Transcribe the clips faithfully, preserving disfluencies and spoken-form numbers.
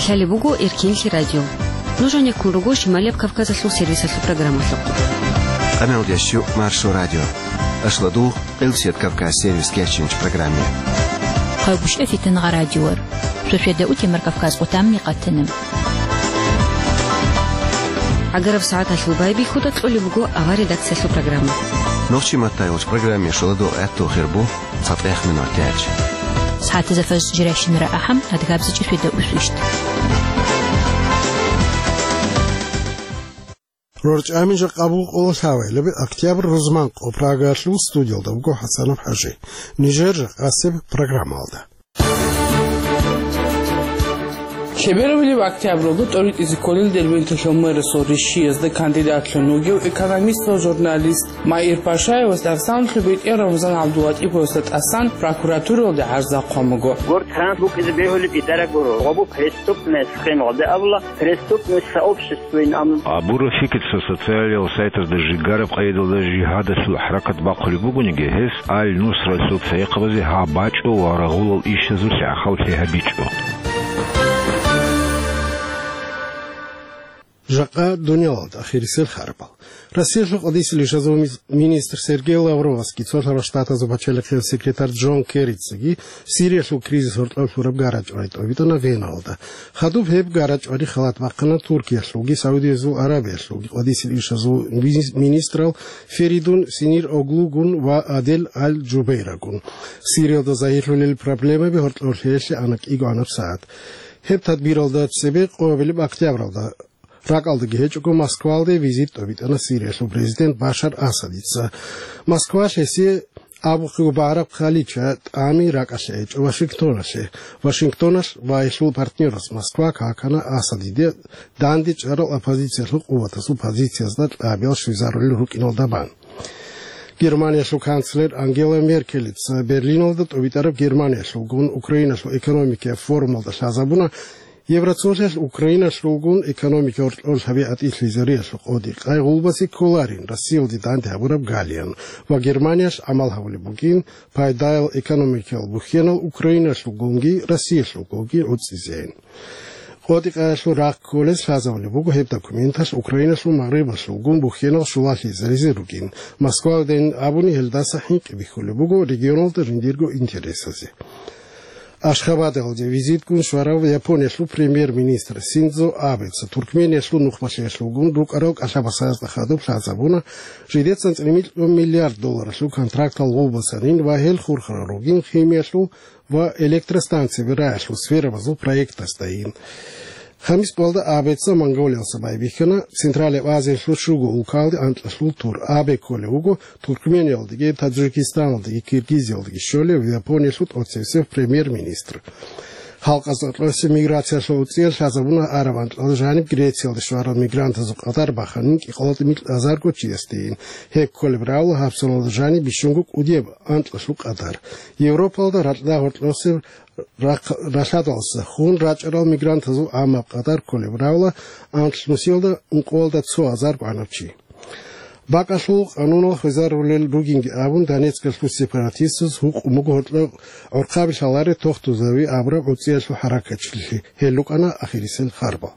Лъалеб буго Эркинлъи радио. Нуж гьанеккун руго Шималияб Кавказалъул сервисалъул программалъухъ. Къамелдеш чу Маршо радио. Ашладугъ, Къилсият Кавказ сервис кечинч программе. Хъайгушев Фитнагъа радиор. Шошеда утемар Кавказ къутамни къатана. Агараб сагӀаталъул байбихьуда кьолеб буго авар редакциялъул программа. Нохчи матайулч программе шоладо гӀатту хирбу. ЦатӀех минутач. СагӀатазда фажр жирайщинара ахӀам, адгабзичӀеб шведа усвищ. РорчӀами жакъа буго къоло лъабабилеб октябрь рузман къо Прагаялъул студиялда буго ХӀасанов ХӀажи. Нижер жакъасеб программалда. Лъеберабилеб октябралда тӀоритӀизе кколел Дербенталъул мэрасул ришшиязда кандидатлъун вугев экономист ва журналист Маир Пашаевас Арсанлъул бетӀер Рамзан ГӀабдулатӀиповасда тӀасан прокуратуралде гӀарза хъван буго. Гурт ханат букӀизе бегьулеб битӀараб гуро, ва бу преступность хъин гъоде абула, преступность сообществоин ам. Абураб фикир цо социалиял сайтазда жигараб къайдалда жигьадалъул хӀаракат бахъулеб бугониги, гьес Аль-Нусралъул цайихъабазе гьаб бачӀо ва рагъулал ишазулъ гӀахьаллъи гьабичӀо. Жакъа дуниялалда ахирисел харбал. Россиялъул къадисел ишазул мис-, министр Сергей Лавровасги Цолъарал Штатазул пачалихъиял секретарь Джон Керрицаги Сириялъул кризис гьоркьоб лъураб гарачӀвай тӀобитӀана Веналда. Хадуб гьеб гарачӀвари халат бахъана Туркиялъулги Саудиязул Аравиялъулги къадисел ишазул мини-, министрал Феридун Синир Оглугун ва Адель Аль-Джубейрагун. Сириялда загьирлъулел проблемаби гьоркьоб лъеялъе ана кӀигоанаб сагӀат. Гьеб тадбиралда цебе къоабилеб октябралда ракӀалдаги гьечӀого Москвалде визит тӀобитӀана Сириялъул президент Башар Асадица. Москва гьесие абухъего багӀараб хъалича тӀами ракӀалъе гьечӀо Вашингтоналъе. Вашингтоналъ ва гьелъул партнерас Москва какана Асадиде данде чӀарал оппозициялъул къуватазул позициязда кьабиял щвезарулел рукӀиналда бан. Германиялъул канцлер Ангела Меркелица Берлиналда тӀобитӀараб Германиялъулгун Украиналъул экономикияб форумалда лъазабуна, Евроцолъиялъ Украиналъулгун экономика гьоркьоб лъабе гӀатӀилъизариялъул къоди-къай гъулбазе кколарин Россиялде данде гьабураб галиян ва Германиялъ гӀамал гьабулеб бугин пайдаял экономикиял бухьенал Украиналъулгунги Россиялъулгунги гӀуцӀизейин. КъотӀи-къаялъул рахъ кколез лъазабулеб буго гьеб документалъ Украиналъул магърибалъулгун бухьенал щулалъизаризе ругин. Москвалдейин абуни гьелдаса хӀинкъи бихьулеб буго регионалда жиндирго интересазе. Ашхабадалде визитгун щварав Япониялъул премьер-министр Синдзо Абеца Туркмениялъул нухмалъиялъулгун рукӀарал кӀалъабасазда хадуб лъазабуна жидецан цӀемилъун миллиард долларалъул контрактал гъулбасанин ва гьел хурхарал ругин химиялъул ва электростанцияби раялъул сферабазул проектасдайин. Хамис балда Абеца Монголиялса байбихьана, Централияб Азиялъул щуго улкалде анкьалъул тур. Абе кколев вуго Туркмениялдеги, Таджикистаналдеги, Киргизиялдеги щолев Япониялъул тӀоцевсев премьер-министр. Халкъазда кьосе миграциялъул уцӀиялъ лъазабуна араб анкьалда жаниб Грециялде щварал мигрантазул къадар баханин кӀикъоялда микь азарго чиясдейин. Гьеб кколеб равла гьабсаналда жаниб бищунго кӀудияб анкьалъул къадар. Европалда ракьда гьоркьосе рахъ-, ралъадалса хун рачӀарал мигрантазул гӀаммаб къадар кколеб равла анлънусиялда ункъоялда цо азар гӀанав чи. БакӀалъул къанунал хвезарулел ругинги абун, Донецкалъул сепаратистаз гьукъун буго гьоркьоб гӀорхъаби лъаларе тохтузави абураб гӀуцӀиялъул хӀаракатчилъи. Гьел рукӀана ахирисел харбал.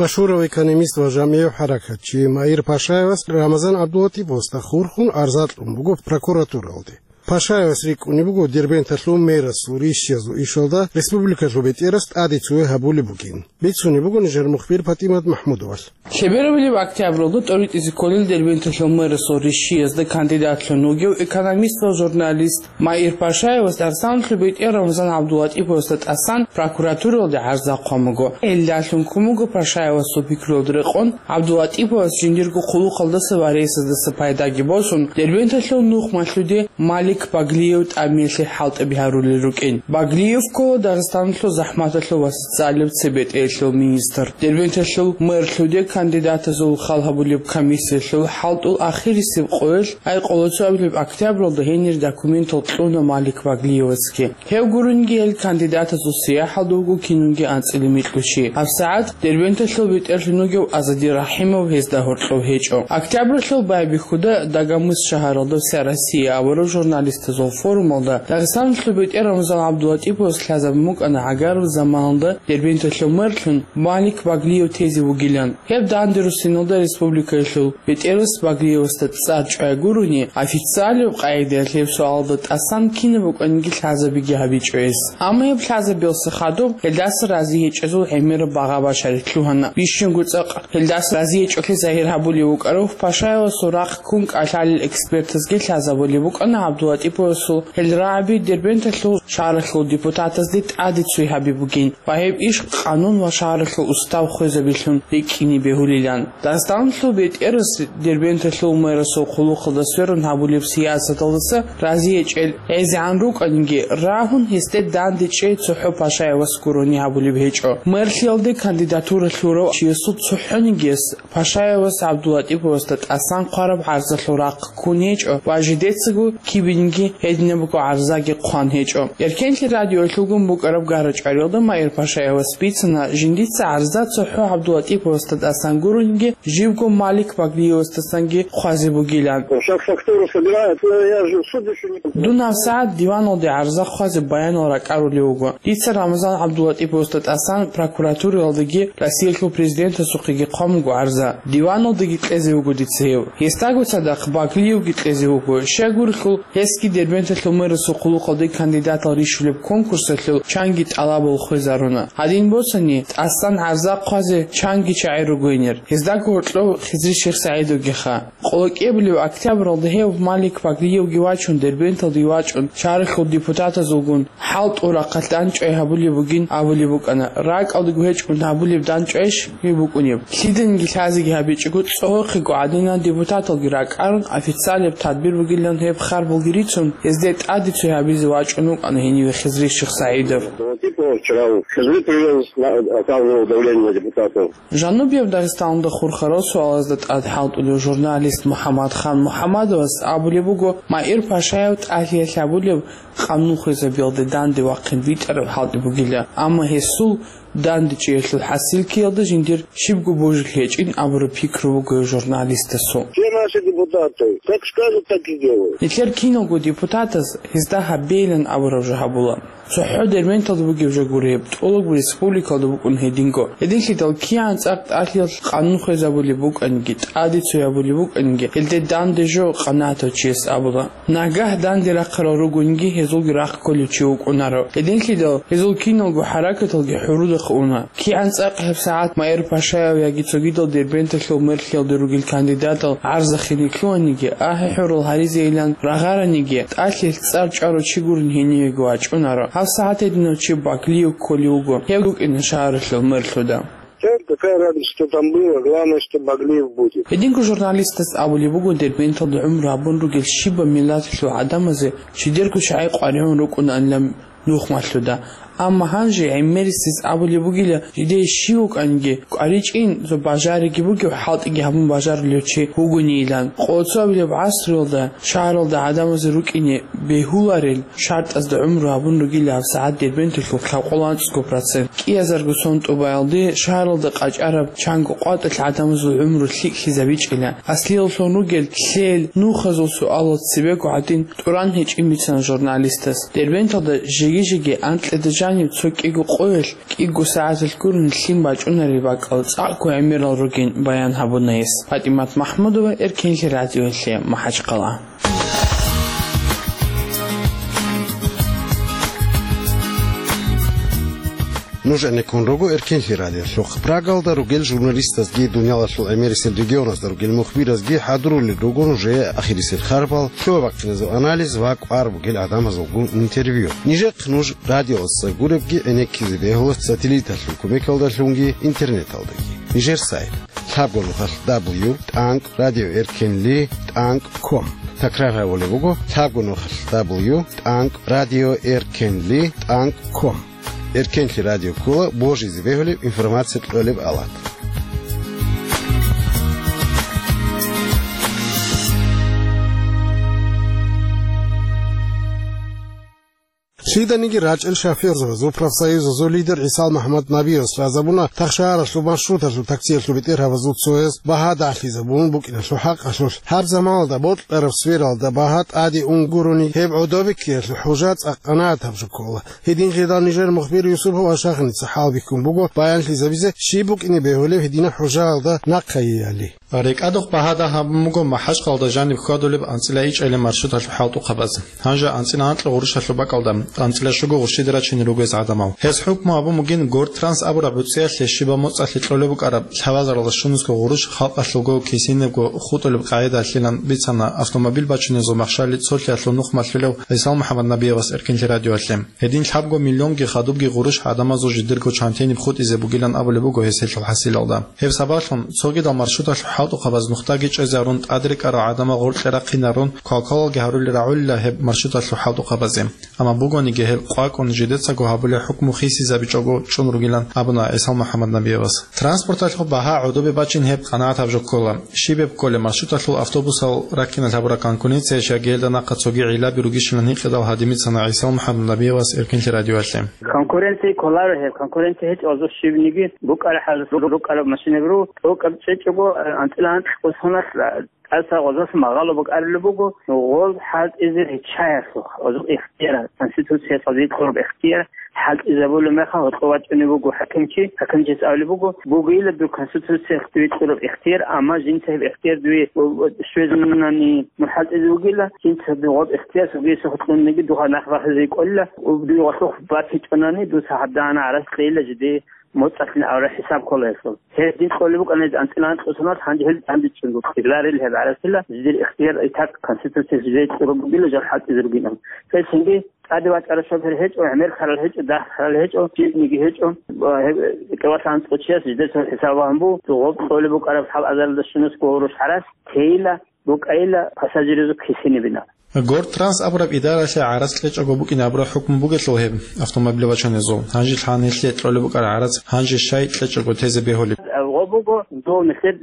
Машгьурав экономист ва жамигӀив хӀаракатчи Маир Пашаевас Рамазан ГӀабдулатӀиповасда хурхун арза кьун буго прокуратуралде. Пашаевас рикӀкӀунеб буго Дербенталъул мэрасул рищиязул ишалда республикалъул бетӀерас тӀаде цеве гьабулеб бугин. Бицунеб буго нижер мухбир ПатӀимат МахӀмудовалъ. Лъеберабилеб октябралда тӀоритӀизе кколел Дербенталъул мэрасул рищиязда кандидатлъун вугев экономист ва журналист Маир Пашаевас Арсанлъул бетӀер Рамзан ГӀабдулатӀиповасда тӀасан прокуратуралде гӀарза хъван буго. Гьелдалъун ккун буго Пашаевасул пикруялда рекъон ГӀабдулатӀиповас жиндирго хъулухъалдаса ва рейсаздаса пайдаги босун, Дербенталъул нухмалъуде Малик Баглиев тӀамиялъе хӀалтӀи гьарулел рукӀин. Баглиев ккола Дагъистаналъул захӀматалъул ва социалияб цебетӀеялъул министр. Дербенталъул мэрлъуде кандидатазул хал гьабулеб комиссиялъул хӀалтӀул ахирисеб къоялъ, ай къоло цоабилеб октябралда гьенир документал кьуна Малик Баглиевасги. Гьев гурунги гьел кандидатазул сияхӀалда вуго кинунги анцӀила микьучи. ГьабсагӀат Дербенталъул бетӀерлъун вугев Азади Рахимов гьезда гьоркьов гьечӀо. Октябралъул байбихьуда Дагомыс шагьаралда «Вся Россия» абураб журналистазул форумалда Дагъистаналъул бетӀер Рамазан ГӀабдулатӀиповас лъазабун букӀана гӀагарал заманалда Дербенталъул мэрлъун Малик Баглиев тезе вугилан. Гьеб данде руссиналда республикаялъул бетӀерас Баглиевасда цӀар чӀвай гурони, официалияб къагӀидаялъ гьеб суалалда тӀасан кинаб букӀаниги лъазабиги гьабичӀо гьес. Амма гьеб лъазабиялъе хадуб гьелдаса рази гьечӀезул гӀемераб багъа-башари лъугьана. Бищунго цӀакъ гьелдаса рази гьечӀолъи загьир гьабулев вукӀарав Пашаевасул рахъ ккун кӀалъалел экспертазги лъазабулеб букӀана ГӀабдулатӀиповасул гьел рагӀаби Дербенталъул шагьаралъул депутатазде тӀаде цой гьаби бугин ва гьеб иш къанун ва шагьаралъул устав хвезабилъун рикӀкӀине бегьулилан. Дагъистаналъул бетӀерас Дербенталъул мэрасул хъулухъалда сверун гьабулеб сиясаталдаса рази гьечӀел гӀезегӀан рукӀаниги, рагьун гьесде данде чӀей цохӀо Пашаевас гурони гьабулеб гьечӀо. Мэрлъиялде кандидатура лъурав чиясул цохӀонигияс Пашаевас ГӀабдулатӀиповасда тӀасан хъвараб гӀарзалъул рахъ ккун гьечӀо ва жидецаго кибинги гьединабго гӀарзаги хъван гьечӀо. Эркенлъи радиоялъулгун букӀараб гара-чӀвариялда Маир Пашаевас бицана, жиндица гӀарза цохӀо ГӀабдулатӀиповасда тӀасан гурониги, живго Малик Баглиевасдасанги хъвазе бугилан. Сейчас фактуру собирают, но я же в суд ещё не подал. Дун гьабсагӀат диваналде гӀарза хъвазе баянал ракӀарулев вуго. Дица Рамазан ГӀабдулатӀиповасда тӀасан прокуратураялдаги Россиялъул президентасухъеги хъван буго гӀарза. Диваналдаги кьезе вуго дица гьев. Гьесдаго цадахъ Баглиевги кьезе вуго. Щайгурелъул, гьесги Дербенталъул мэрасул хъулухъалде кандидатал рищулеб конкурсалъул чанги тӀалабал хвезаруна. Гьадин босани, тӀасан гӀарза хъвазе чанги чагӀи ругойнир. Гьездаго гьоркьов Хизри Шихсагьидовгиха. Къоло кӀиабилеб октябралда гьев Малик Баглиевги вачун, Дербенталде вачӀун, шагьаралъул депутатазулгун хӀалтӀул рахъалъ дандчӀвай гьабулеб бугин абулеб букӀана. РакӀалдаго гьечӀун гьабулеб дандчӀвайищ гьеб букӀунеб? Лъиданиги лъазеги гьабичӀого, цӀогьохъего гӀадинан депутаталги ракӀарун, официалияб тадбир бугилан гьеб харбалги рицун, гьезде тӀаде цой гьабизе вачӀун вукӀана гьениве Хизри Шихсагьидов. Типа вчера Хизри привез, на-, оказывал давление на депутатов. Жанубияб Дагъистаналда хурхарал суалазда тӀад хӀалтӀулев журналист МухӀаммадхан МухӀаммадовас абулеб буго, Маир Пашаев тӀалъиялъ гьабулеб къанун хвезабиялде данде вахъин битӀараб хӀалтӀи бугила, амма гьесул дандечӀеялъул хӀасилкиялда жиндир щибго божулъ гьечӀин абураб пикру буго журналистасул. Все наши депутаты, как скажут, так и делают. Нилъер киналго депутатаз гьезда гьабейилан абураб жо гьабула. ЦохӀо Дербенталда бугеб жо гуреб, тӀолабго республикалда букӀун гьединго. Гьединлъидал кигӀан цӀакъ тӀалъиялъ къанун хвезабулеб букӀаниги, тӀаде цой гьабулеб букӀаниги, гьелде данде жо къанагӀатав чияс абула. Нагагь данде рахъарал ругониги, гьезулги рахъ кколев чи вукӀунаро. Гьединлъидал гьезул киналго хӀаракаталги хӀурудахъ уна. КигӀан цӀакъ гьеб сагӀат Маир Пашаев яги цогидал Дербенталъул мэрлъиялде ругел кандидатал гӀарзахине лъугьаниги, ахӀи-хӀурал гьаризейилан рагъараниги, тӀалъиялъ цӀар чӀварав чи гурин гьенивеги вачӀунаро. Гьаб сагӀат гьединав чи Баглиев кколев вуго. Гьев вукӀина шагьаралъул мэрлъуда. Всё, какая разница, что там было, главное, что Баглиев будет. Гьединго журналистас абулеб буго, Дербенталда гӀумру гьабун ругел щибаб миллаталъул гӀадамазе жидерго чагӀи къваригӀун рукӀунаанилан нухмалъуда. Амма гьанже гӀемерисез абулеб бугила, жидее щив вукӀаниги, кӀваричӀин, цо бажариги бугев, хӀалтӀиги гьабун бажарулев чи вугонийилан. Къоло цоабилеб гӀасруялда шагьаралда гӀадамазе рукӀине бегьуларел шартӀазда гӀумру гьабун ругила гьабсагӀат Дербенталъул лъабкъоялда анцӀго процент. КӀиазарго сон тӀубаялде шагьаралда къачӀараб чанго къватӀалъ гӀадамазул гӀумру лъикӀлъизабичӀила. Аслиялъун ругел лъел, нухазул суалал цебего гӀадин тӀуран гьечӀин бицана журналистас. Дербенталда жеги-жеги анкьида жаниб цо кӀиго къоялъ кӀиго сагӀаталъ гурун лъим бачӀунарел бакӀал цӀакъго гӀемерал ругин баян гьабуна гьес. ПатӀимат Махмудова, Эркенлъи радиоялъе, МахӀачхъала. Нуж гӀенеккун руго Эркенлъи радиолъухъ. Прагалда ругел журналистазги, дуниялалъул гӀемерисел регионазда ругел мухбиразги хӀадурулел руго нужее ахирисел харбал, лъугьа-бахъиназул анализ ва кӀвар бугел гӀадамазулгун интервью. Нижехъ нуж радиоялдаса гуребги гӀенеккизе бегьула сателлиталъул кумекалдалъунги интернеталдаги. Нижер сайт. лъабго нухалъ дабл ю тӀанкӀ радио эркенли тӀанкӀ ком. Такрар гьабулеб буго: лъабго нухалъ дабл ю тӀанкӀ радио эркенли тӀанкӀ ком. Эркенлъи радио ккола божизе бегьулеб информация кьолеб алат. Лъиданиги рачӀел шофёрзабазул профсоюзазул лидер ГӀисал МухӀаммад Набиевас лъазабуна тахшагьаралъул маршруталъул таксиялъул бетӀергьабазул цояс багьа дагьлъизабун букӀиналъул хӀакъалъулъ. Гьаб заманалда бокьараб сфералда багьа тӀаде ун гурони, гьеб гӀодобиккиялъул хӀужа цӀакъ къанагӀатаб жо ккола. Гьединлъидал нижер мухбир Юсупов Ашахиница хӀалбихьун буго баянлъизабизе щиб букӀине бегьулеб гьединаб хӀужаялда нахъайиали. РекӀадухъ багьа дагь гьабун буго МахӀачкъалда жаниб хьвадулеб анцӀила ичӀалил маршруталъул хӀалтӀухъабаз. Гьанже анцӀила анкьа гъурущалъул бакӀалда анцӀила щуго гъурщида рачине ругез гӀадамал. Гьез хӀукму гьабун бугин Гортранс абураб гӀуцӀиялъе щибаб моцӀалъе кьолеб букӀараб лъабазаралда щунусго гъурущ халкъалъулго кисинабго хутӀулеб къагӀидалъилан бицана автомобиль бачунезул махщали цолъиялъул нух малъулев ГӀисал МухӀаммад Набиевас Эркинлъи радиоялъе. Гьедин лъабго миллионги хадубги гъурущ гӀадамазул жидерго чантиниб хутӀизе бугилан абулеб буго гьес гьелъул хӀасилалда. Гьеб сабаблъун цогидал маршруталъул хӀалтӀухъабаз нухдаги чӀезарун, тӀадрекӀарал гӀадамал гъоркье рахъинарун, квалквалалги гьарули рагӀулила гьеб маршруталъул хӀалтӀухъабазе. Амма бугониги гьел къвакӀун жидецаго гьабулеб хӀукму хисизабичӀого чӀун ругилан абуна ГӀисал МухӀаммад Набиевас. Транспорталъул багьа гӀодобе бачӀин гьеб къанагӀатаб жо ккола. Щиб гьеб кколеб, маршруталъул автобусал раккиналъ гьабураб конкуренция щай гьелда нахъа цоги гӀиллаби ругищилан гьикъидал гьадимицана ГӀисал МухӀаммад Набиевас Эркинлъи радиоялъе. Конкуренция кколаро гьеб, конкуренция гьечӀо, гьазул щибниги букӀараб хӀал, рукӀараб машинаб ру, тӀокӀаб чӀечӀого, анцӀила анкь кӀусуналъ, тӀаса гъозас магъало букӀарулеб буго, гъоз хӀалтӀизе риччаялъухъ, гъозул ихтияр, Конституцияс гъозие кьураб ихтияр, хӀалтӀизабулеб мехалъ гьоркьов вачӀунеб буго хӀакимчи, хӀакимчияс абулеб буго, бугейила дур Конституциялъ дуе кьураб ихтияр, амма жинца гьеб ихтияр дуе щвезунани мун хӀалтӀизе вугила, жинца дугъаб ихтияр, сугиса хутӀунниги дугъа нах бахизе кӀолила, дуе гъолъухъ батичӀонани, дуца гьаб дагьана гӀарац кьейила жиде моцӀалъин абураб хӀисаб ккола гьелъул. Гьез дин кьолеб букӀана гьез анцӀила анкь кӀусуналъ, гьанже гьел данде чӀун букӀин. Рарил гьеб гӀарасила, жидер ихтияр итак Конституциялъ жидее кьураб бугила жал хӀалтӀизе ругинан. Гьелъинги тӀаде вачӀарал шофер гьечӀо, гӀемер ккарал гьечӀо, дагь ккарал гьечӀо, жибниги гьечӀо. Ва гьеб кӀикъоялъ анцӀго чияс жидер цо хӀисаб вагьун буго, гъоб кьолеб букӀараб лъабазаралда щунусго гъурущ гӀарац тейила, букӀайила пассажирзул кисинибина. Гортранс абураб идаралъе гӀарац кьечӀого букӀин абураб хӀукму бугелъул гьеб автомобиль бачунезул, гьанже лъан гьелъие кьолеб букӀараб гӀарац гьанже щай кьечӀого тезе бегьулеб? Гъо буго, дов нилъер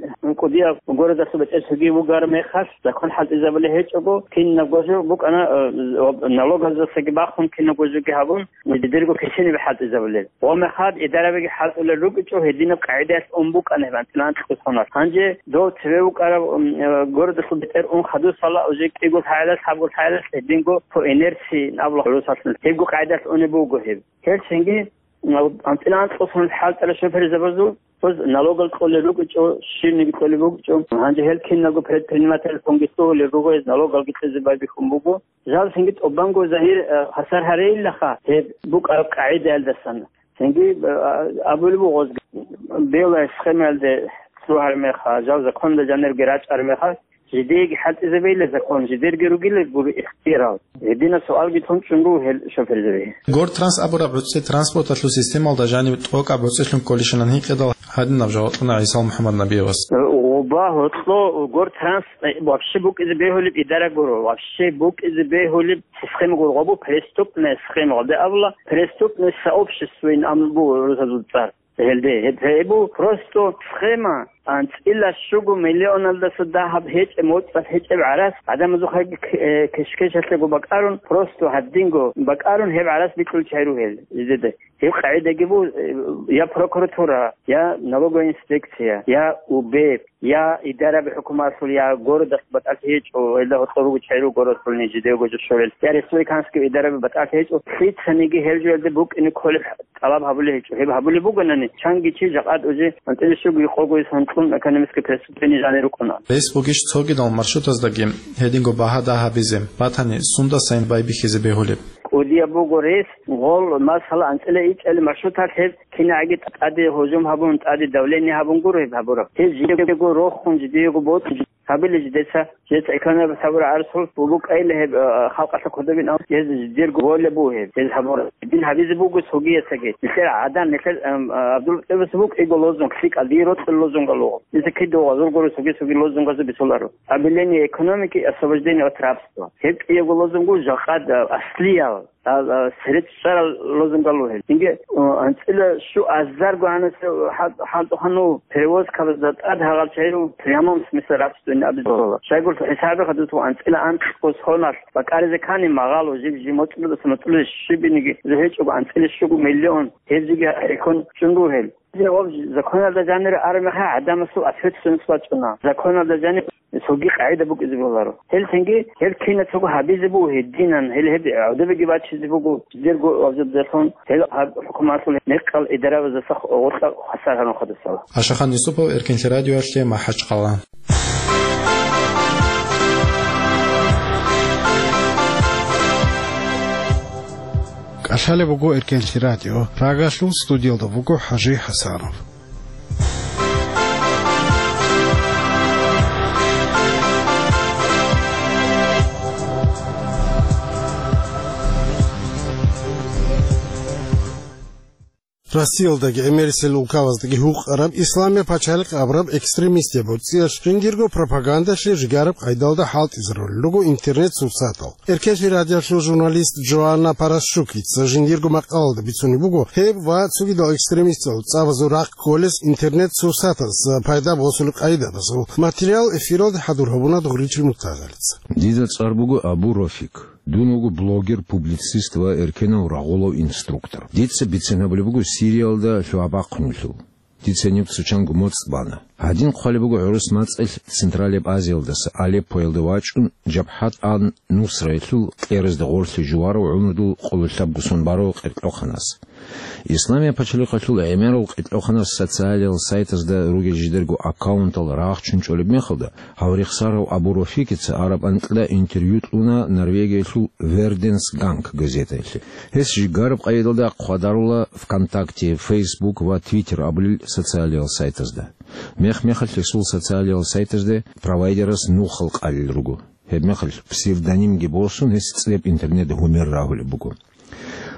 кӀудияб городалъул бетӀер цоги вугар мехалъ, закон хӀалтӀизабулеб гьечӀого, кинабго жо букӀана, э, налогаздасаги бахун, кинабго жоги гьабун, жидерго кисинибе хӀалтӀизабулел. Гъо мехалъ идарабиги хӀалтӀулел рукӀичӀо, гьединаб къагӀидаялъ ун букӀана гьеб анцӀила анкь кӀусуналъ. Гьанже дов цеве вукӀарав, м, э, городалъул бетӀер ун хадусала, уже кӀиго лъагӀалалъ, лъабго лъагӀалалъ гьединго по инерции абула гӀурусалъ. Гьебго къагӀидаялъ унеб буго гьеб. Гьелъинги, м, анцӀила анкь кӀусуналъ хӀалтӀарал шоферзабазул гъоз налогал кьолел рукӀичӀо, щибниги кьолеб букӀичӀо. Гьанже гьел киналго предпринимательлъунги лъугьулел руго, гьез налогалги кьезе байбихьун буго. Жал цинги тӀубанго загьир, э, хвасар гьарейилаха гьеб букӀараб къагӀидаялдасан. Цинги, э, абулеб буго гъозги, белая схемаялде лъугьар меха, жал законалда жанирги рачӀар меха, жидееги хӀалтӀизабейила закон, жидерги ругила гури ихтиярал. Гьединаб суалги тун чӀун буго гьел шоферзабе. Гортранс абураб гӀуцӀи транспорталъул системалда жаниб тӀокӀаб гӀуцӀилъун кколищилан гьикъидал гьадинаб жаваб кьуна ГӀисал МухӀаммад Набиевас. Гъоба гьоркьо гортранс, э, вообще букӀизе бегьулеб идара гуро, вообще букӀизе бегьулеб система гуро, гъобу преступная схема, гъабде абула, преступное сообществоин абун буго рузазул цӀар. Гьелде, гьеб, гьеб бу просто схема, анцӀила щуго миллионалдаса дагьаб гьечӀеб, моцӀалъ гьечӀеб гӀарац, гӀадамазухъеги к-, э, кеш-кешалъего бакӀарун, просто гьадинго бакӀарун, гьеб гӀарац бикьулел чагӀи ругел жидеда. Гьеб къагӀидаги бу, э, я прокуратура, я налоговая инспекция, я УБЭП, я идараби хӀукуматалъул, я городалъ батӀалъи гьечӀо, гьелда гьоркьор руго чагӀи руго городалъул нижидего жо щолел, я республиканский идараби батӀалъи гьечӀо, лъицаниги гьеб жоялде букӀине кколеб тӀалаб гьабулеб гьечӀо. Гьеб гьабулеб бугонани, чангичи жакъад уже анцӀила щуго къого санкъун экономическое преступление жанир рукӀуна. Рес бугищ цогидал маршрутаздаги гьединго багьа дагь гьабизе, батани, сундасайин байбихьизе бегьулеб? КӀудияб буго рес, гъол, масала, анцӀила ичӀали маршруталъ гьеб кинагӀаги тӀаде гьужум гьабун, тӀаде давление гьабун гуро гьеб гьабураб. Гьеб жидего рохун, жидего боцӀун, гьабили жидеца Гьез гӀеканаб сабур гӀарсул букӀайилла гьеб, а, халкъалъа кодобин ам, гьез дирго воля буго гьеб. Гьез гьабура. Дин гьабизе буго цогиясаги. Нилъер гӀадан, нилъер, ам, а, ГӀабдул-МутӀалибас букӀиго лозунг лъикӀал, дие рокьул лозунгал вуго. Гьезда кидав гъазул гуро цоги-цоги лозунгазул бицуларо. Объявление экономики, освобождение от рабства. Гьеб кӀиявго лозунго жакъад, а, аслиял. А, а, средств чӀарал лозунгал вугьел. Инге, а, анцӀила щу азарго гьанасе хӀал-, хӀалтӀухъанав перевозкабазда тӀад гьагъал чагӀирав прямом смысле рабствоин абизарала. Щайгурелъул хӀисабихъа дутӀа анцӀила анкьго соналъ бакӀаризе ккани магъало жиб-жиб моцӀрудаса моцӀруде щибиниги гьечӀого анцӀила щуго миллион гьеб жиги гьекъон чӀун ругьел. Ва законалда жанир армеха гӀадамасул ответственность бачӀуна. Законалда жанир цоги къагӀида букӀизе боларо. Гьел цинги, гьел кинацаго гьабизе буго гьединан, гьел гьеб гӀодобеги бачизе буго, жидерго гьабзабдалъун гьел гьаб хӀукуматалъул мекъал идарабаздаса гъоркьа хвасар гьарун хадасала. Ашахан Юсупов, Эркенлъи радиоялъе, МахӀачхъала. КӀалъалеб буго Эркенлъи радио. Прагалъул студиялда вуго ХӀажи ХӀасанов. Россиялдаги гӀемерисел улкабаздаги гьукъараб Исламия пачалихъ абураб экстремистияб гӀуцӀиялъ жиндирго пропагандалъе жигараб къайдалда хӀалтӀизарулел руго интернет-сурсатал. Эркенлъи радиоялъул журналист Джоанна Парасчукица жиндирго макъалалда бицунеб буго гьеб ва цогидал экстремистал цӀабазул рахъ кколес интернет-сурсатаз пайда босулеб къайдабазул материал эфиралде хӀадур гьабуна Дугъричил Муртазалица. Дида цӀар буго Абу Рофик. Дун вуго блогер, публицист ва эркенав рагъулав инструктор. Дица бицен гьабулеб буго Сириялда лъугьа-бахъунелъул. Дица гьениб цо чанго моцӀ бана. Гьадин хъвалеб буго гӀурус мацӀалъ Централияб Азиялдаса, Алеппоялда вачӀун, Жабхат ан-Нусраялъул кьеразда гъорлъе жуварав гӀумрудул къоло лъабго сон барав къеркьоханас. Исламия пачалихъалъул гӀемерал къеркьоханас социалиял сайтазда ругел жидерго аккаунтал рагъчун чӀолеб мехалда, гьав рехсарав Абу Рофикица араб анкьда интервью кьуна Норвегиялъул Верденс Ганг газетаялъе. Гьес жигараб къайдалда хъвадарула ВКонтакте, Facebook ва Twitter абулел социалиял сайтазда. Мех-мехалъ гьесул социалиял сайтазде провайдерас нухал кьалел руго. Гьебмехалъ псевдонимги босун, гьес цӀеб интернет гьумер рагьулеб буго.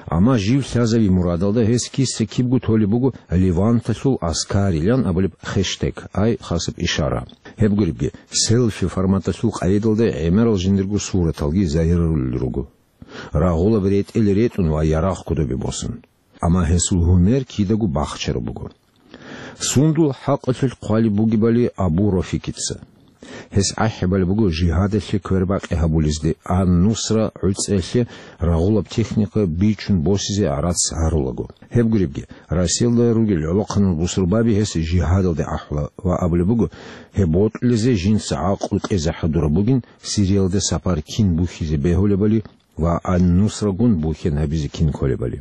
Амма жив лъазави мурадалда гьес киса-кибго толеб буго Леванталъул аскарилан абулеб хештег, ай хасаб ишара. Гьеб гуребги, селфи форматалъул къайдалда гӀемерал жиндирго сураталги загьирарулел руго. Рагъулаб ретӀел ретӀун ва ярагъ кодобе босун. Амма гьесул гьумер кидаго бахчараб буго. Сундул хӀакъалъулъ хъвалеб бугебали Абу Рофикица. Гьес гӀахӀибали буго жигьадалъе квербакъи гьабулезде, ан-Нусра гӀуцӀиялъе рагъулаб техника бичун босизе гӀарац гьарулаго. Гьеб гуребги, Россиялда ругел гӀолохъанал бусурбаби гьес жигьадалде ахӀула ва абулеб буго, гьеб бокьулезе жинца гӀакълу кьезе хӀадураб бугин, Сириялда сапар кин бухьизе бегьулебали ва ан-Нусрагун бухьен гьабизе кин кколебали.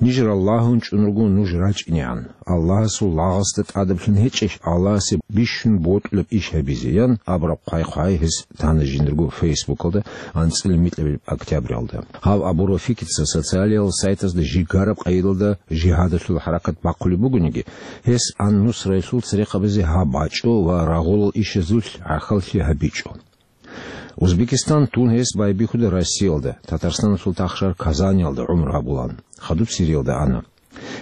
Ниж Аллагьун чӀун руго нуж рачӀинегӀан, Аллагьасул лагъасда тӀадаблъун гьечӀищ Аллагьасе бищун бокьулеб иш гьабизе, ян абураб хъвай-хъвай гьес тана жиндирго Фейсбукалда анцӀила микьабилеб октябралда. Гьав Абу Рафикица социалиял сайтазда жигараб къайдалда жигьадалъул хӀаракат бахъулеб бугониги, гьес ан-Нусраялъул церехъабазе гьаб бачӀо ва рагъулал ишазулъ гӀахьаллъи гьабичӀо. Узбекистан тун гьес байбихьуда Россиялда, Татарстаналъул тахшар Казаниялда гӀумру гьабулан, хадуб Сириялда ана.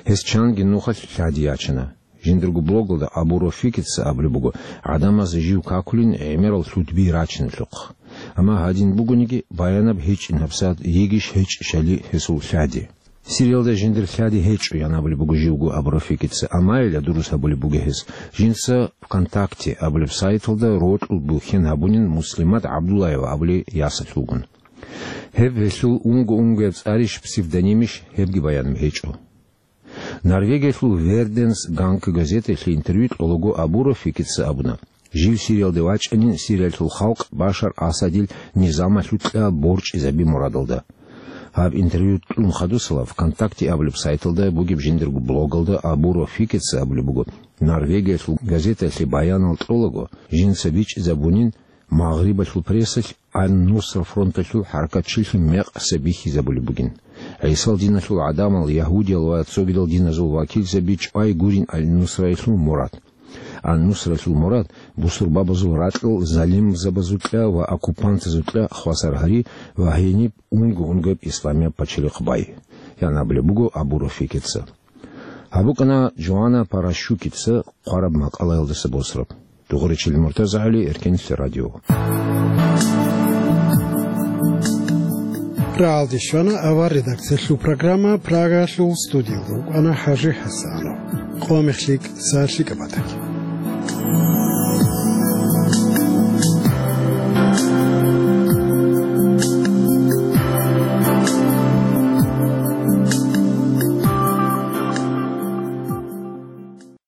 Гьес чанги нухалъ лъади ячана. Жиндирго блогалда Абу Рафикица абулеб буго, гӀадамаз жив какулин гӀемерал лъудби рачиналъухъ. Амма гьадин бугониги, баянаб гьечӀин гьабсагӀат йигищ гьечӀищали гьесул лъади. Сириялда жиндир лъади гьечӀо, ян абулеб буго живго Абу Рафикица, амма гьелда дурус гьабулеб буго гьес. Жинца ВКонтакте абулеб сайталда рокьул бухьен гьабунин Муслимат ГӀабдуллаева абулей ясалъулгун. Гьеб гьелъул унго-унгояб цӀарищ, псевдонимищ, гьебги баян гьечӀо. Норвегиялъул Верденс Ганг газеталъе интервью кьолаго Абу Рафикица абуна, жив Сириялде вачӀанин Сириялъул халкъ Башар Асадил низамалъукьа борчӀизаби мурадалда. Гьаб интервью кьун хадусала ВКонтакте абулеб сайталда бугеб жиндирго блогалда Абу Рафикица абулеб буго, Норвегиялъул газеталъе баянал кьолаго, жинца бичӀчӀизабунин, Магърибалъул прессалъ Ан-Нусра фронталъул хӀаракатчилъун мекъса бихьизабулеб бугин. ГӀисал диналъул гӀадамал, ягьудиял ва цогидал диназул вакилзаби чӀвай гурин Ан-Нусраялъул мурад. Ан-Нусралъул мурад бусурбабазул ракьал залимзабазукьа ва оккупантазукьа хвасар гьари ва гьениб унго-унгояб исламияб пачалихъ бай, ян абулеб буго Абу Рафикица. Гьаб букӀана Джоанна Паращукица хъвараб макъалаялдаса босараб. Дугъуричил МуртазагӀали, Эркенлъи радио. РагӀалде щвана авар редакциялъул программа, Прагалъул студиялда вукӀана ХӀажи ХӀасанов. Къо мехлъи, са лъикӀаб батӀалъи.